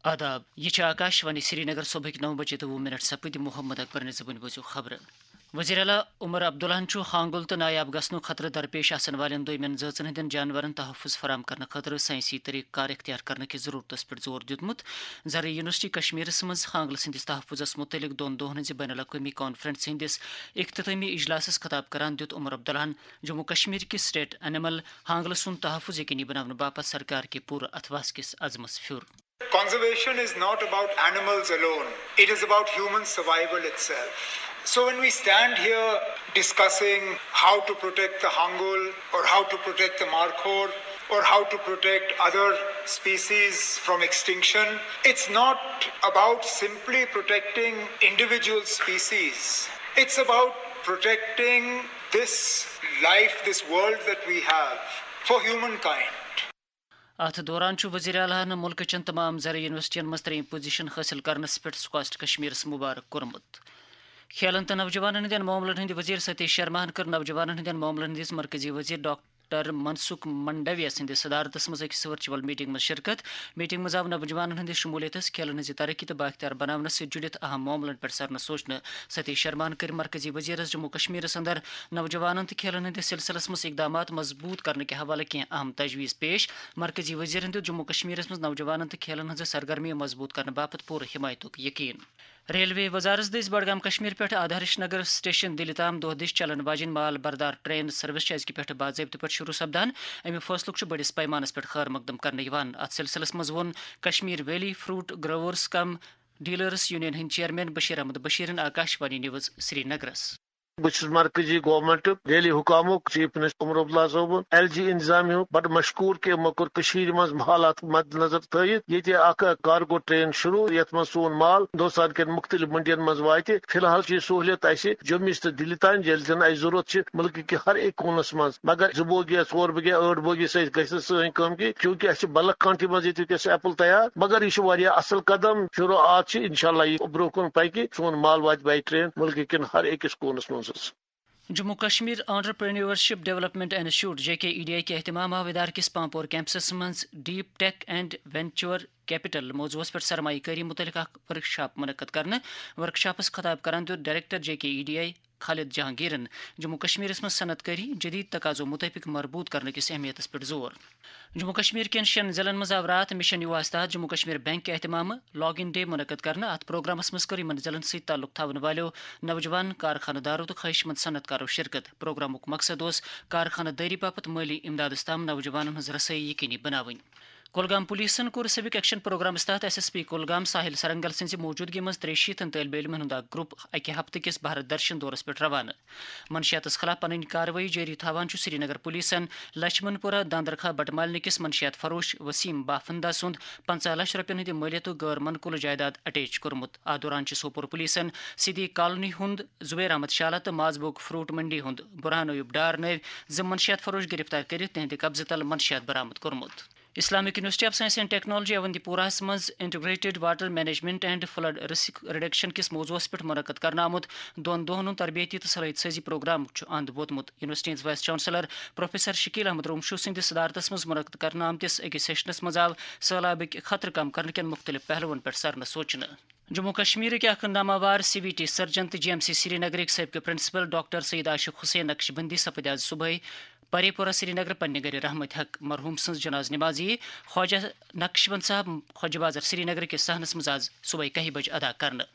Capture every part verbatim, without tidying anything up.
آداب، یہِ چھِ آکاش وانی سرینگر۔ صبحٕکۍ نَو بجے تہٕ وُہ منٹ سپٕدۍ۔ محمد اکبرن زبٲنۍ بوٗزِو خبرٕ۔ وزیر اعلیٰ عمر عبداللہن چھُ ہانگُل تہٕ نایاب گژھنُک خطرٕ درپیش آسن والٮ۪ن دویمٮ۪ن زٲژن ہٕنٛدٮ۪ن جانورن تحفظ فراہم کرنہٕ خٲطرٕ سائنسی طریقہٕ کار اختیار کرنہٕ کہِ ضرورتس پٮ۪ٹھ زور دیُتمُت۔ زرعی یونیورسٹی کشمیرس منٛز ہانگلہٕ سٕنٛدِس تحفظس مُتعلق دۄن دۄہن ہٕنٛزِ بین الاقوٲمی کانفرنس ہٕنٛدِس اختتٲمی اجلاسس خطاب کران دیُت عمر عبداللہن جموں کشمیر کِس سٹیٹ انیمل ہانگلہٕ سُنٛد تحفظ یقینی بناونہٕ باپتھ سرکار کہِ پوٗرٕ اتھواس کِس عزمس پھیُر۔ Conservation is not about animals alone, it is about human survival itself. So, when we stand here discussing how to protect the hangul, or how to protect the markhor, or how to protect other species from extinction, it's not about simply protecting individual species. It's about protecting this life, this world that we have for humankind. اتھ دوران چھُ وزیر اعلیٰ ہن مُلکہٕ چٮ۪ن تمام زرعی یونیورسٹین منٛز ترٛیٚیِم پوزیشن حٲصِل کرنس پٮ۪ٹھ سکاسٹ کشمیرس مبارک کوٚرمُت۔ کھیلن تہٕ نوجوانن ہٕنٛدٮ۪ن معاملن ہٕنٛدۍ وزیر ستیش شرماہن کٔر نوجوانن ہٕنٛدٮ۪ن معاملن ہٕنٛدِس مرکزی وزیر ڈاکٹر منسکھ منڈویہ سٕنٛدِس صدارتس منٛز أکِس ورچوئل میٹنگ منٛز شرکت۔ میٹنگ منٛز آو نوجوانن ہٕنٛدِس شمولیتس، کھیلن ہٕنٛزِ ترقی تہٕ بااختیار بناونس سۭتۍ جُڑِتھ اہم معاملن پٮ۪ٹھ سرنہٕ سوچنہٕ۔ ستیش شرماہن کٔرۍ مرکزی وزیرس جموں کشمیرس اندر نوجوانن تہٕ کھیلن ہٕنٛدِس سلسلس منٛز اقدامات مضبوط کرنہٕ کہِ حوالہٕ کینٛہہ اہم تجویز پیش۔ مرکزی وزیرن دیُت جموں کشمیرس منٛز نوجوانن تہٕ کھیلن ہٕنٛزِ سرگرمی مضبوط کرنہٕ باپتھ پوٗرٕ حمایتُک یقین۔ ریلوے وزارت دٔسۍ بڈگام کشمیر پٮ۪ٹھ آدھارش نگر سٹیشن دِلہِ تام دۄہ دِش چلن واجیٚنۍ مال بردار ٹرین سروس چھِ أزکہِ پٮ۪ٹھٕ باضٲبطہٕ پٲٹھۍ شروع سپدان۔ اَمہِ فٲصلُک چھُ بٔڑِس پیمانس پٮ۪ٹھ خٲر مقدم کرنہٕ یِوان۔ اتھ سلسلس منٛز ووٚن کشمیر ویلی فروٹ گروورز کم ڈیلرز یونین ہٕنٛدۍ چیئرمین بشیر احمد بشیرن آکاشوانی نیوز سرینگرس۔ بہٕ چھُس مرکزی گورنمنٹُک، دہلی حکامُک، چیف منسٹر عمر عبداللہ صٲبُن، ایل جی انتظامیہ ہُک بڑٕ مشکوٗر کہِ یِمو کوٚر کٔشیٖرِ منٛز حالات مد نظر تھٲیِتھ ییٚتہِ اکھ کارگو ٹرین شروع، یتھ منٛز سون مال ہندوستان کٮ۪ن مختلف منڈین منٛز واتہِ۔ فی الحال چھِ یہِ سہوٗلیت اَسہِ جوٚمِس تہٕ دِلہِ تام، ییٚلہِ زن اَسہِ ضروٗرت چھِ مُلکہٕ کہِ ہر أکۍ کوٗنس منٛز۔ مگر زٕ بوگی یا ژور بوگی یا ٲٹھ بوگی سۭتۍ گژھِ نہٕ سٲنۍ کٲم کینٛہہ، کیونکہ اَسہِ چھِ بلک کانٹھی منٛز ییٚتہِ وٕنکیٚس ایپل تیار۔ مگر یہِ چھُ واریاہ اصل قدم، شروعات چھِ، انشاءاللہ یہِ برونٛہہ کُن پکہِ، سون مال واتہِ باے ٹرین مُلکہٕ کٮ۪ن ہر أکِس کوٗنس منٛز حظ۔ Jammu Kashmir entrepreneurship development institute, J K E D I, کہِ اہتمام آو ادارٕ کِس پامپور کیمپسس منٛز deep tech and venture capital موضوعس پٮ۪ٹھ سرمایہ کٲری متعلق اکھ ورکشاپ منعقد کرنہٕ۔ ورکشاپس خطاب کران دیُت director J K E D I Khalid جہانگیرن جموں کشمیرس منٛز صنعت کٲری جدید تقاضو مطٲبق مربوط کرنہٕ کِس اہمیتس پٮ۪ٹھ زور۔ جموں کشمیر کٮ۪ن شٮ۪ن ضلعن منٛز آو راتھ مشن یواہس تحت جموں کشمیر بینک کہِ اہتمامہٕ لاگ ان ڈے منعقد کرنہٕ۔ اتھ پروگرامس منٛز کٔر یِمن ضلعن سۭتۍ تعلق تھاون والیو نوجوان کارخانہٕ دارو تہٕ خواہش مند صنعت کارو شرکت۔ پروگرامُک مقصد اوس کارخانہٕ دٲری باپتھ مٲلی امدادس تام نوجوانن ہٕنٛز رسٲیی یقینی بناوٕنۍ۔ کولگام پولیسن کوٚر سِوک ایکشن پروگرامس تحت ایس ایس پی کولگام ساحل سرنگل سٕنٛزِ موجودگی منٛز ترٛیٚیہِ شیٖتن طٲلبہِ علمن ہُنٛد اکھ گروپ اکہِ ہفتہٕ کِس بھارت درشن دورس پٮ۪ٹھ روانہٕ۔ منشیاتس خلاف پنٕنۍ کاروٲیی جٲری تھاوان چھُ سرینگر پولیسن لچھمن پورہ داندرخا بٹمالنہِ کِس منشیات فروش وسیم بافندا سُنٛد پنٛژاہ لچھ رۄپین ہٕنٛدِ مٲلیتُک غٲر منقولہٕ جائیداد اٹیچ کوٚرمُت۔ اتھ دوران چھِ سوپور پولیسن سیدی کالونی ہُنٛد زبیر احمد شالہ تہٕ مازبوگ فروٹ منڈی ہُنٛد برہان ایوب ڈار نٲوۍ زٕ منشیات فروش گرفتار کٔرِتھ تِہنٛدِ قبضہٕ تل منشیات برآمد کوٚرمُت۔ Islamic university of science and technology اونتی پوراہس منٛز integrated water management and flood risk reduction کِس موضوعس پٮ۪ٹھ منعقد کرنہٕ آمُت دۄن دۄہن ہُنٛد تربیتی تہٕ صلٲحیت سازی پروگرامُک چھُ اند ووتمُت۔ یونیورسٹی ہٕنٛز vice chancellor professor Shakeel Ahmad Romshoo سٕنٛدِس صدارتس منٛز منعقد کرنہٕ آمتِس أکِس سیشنس منٛز آو سہلابٕکۍ خطرٕ کم کرنہٕ کٮ۪ن مُختٔلِف پہلوَن پٮ۪ٹھ سرنہٕ سوچنہٕ۔ جموں کشمیرٕکۍ اکھ ناماوار سی وی ٹی سرجن تہٕ جی ایم سی سرینگرٕکۍ سٲبقہٕ پرنسپل ڈاکٹر سید عاشق حسین نقشبندی سپٕدۍ آز صبحٲے پرے پورہ سرینگر پننہِ گرِ رحمت حق۔ مرحوم سٕنٛز جناز نمازی خواجہ نقشبند صاحب خواجہ بازار سرینگر کِس صحنس منٛز آز صبحٲے کاہہِ بجہِ ادا کرنہٕ۔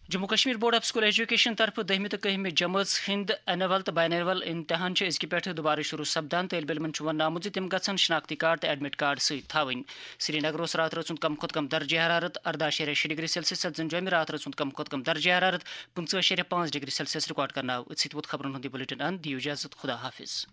Jammu Kashmir board of school education طرفہٕ دٔہمہِ تہٕ کٔہمہِ جمٲژ ہٕنٛدۍ اینول تہٕ باینول امتحان چھِ أزکہِ پٮ۪ٹھٕ دُبارٕ شروع سپدان۔ طٲلبہِ علمن چھُ وننہٕ آمُت زِ تِم گژھن شناختی کارڈ تہٕ ایڈمٹ کارڈ سۭتۍ تھاوٕنۍ۔ سرینگرس راتھ رٲژ ہُنٛد کم کھۄتہٕ کم درجہ حرارت ارداہ اَشاریہ شےٚ ڈگری سیلسیس، تہٕ زن جوٚمہِ راتھ رٲژ ہُنٛد کم کھۄتہٕ کم درجہ حرارت پٕنٛژٕہ اَشاریہ پانٛژھ ڈگری سیلسیس ریکارڈ کرنہٕ آو۔ أتھۍ سۭتۍ ووت خبرن ہُنٛد یہِ بلیٹن اند۔ دِیِو اجازت، خدا حافظ۔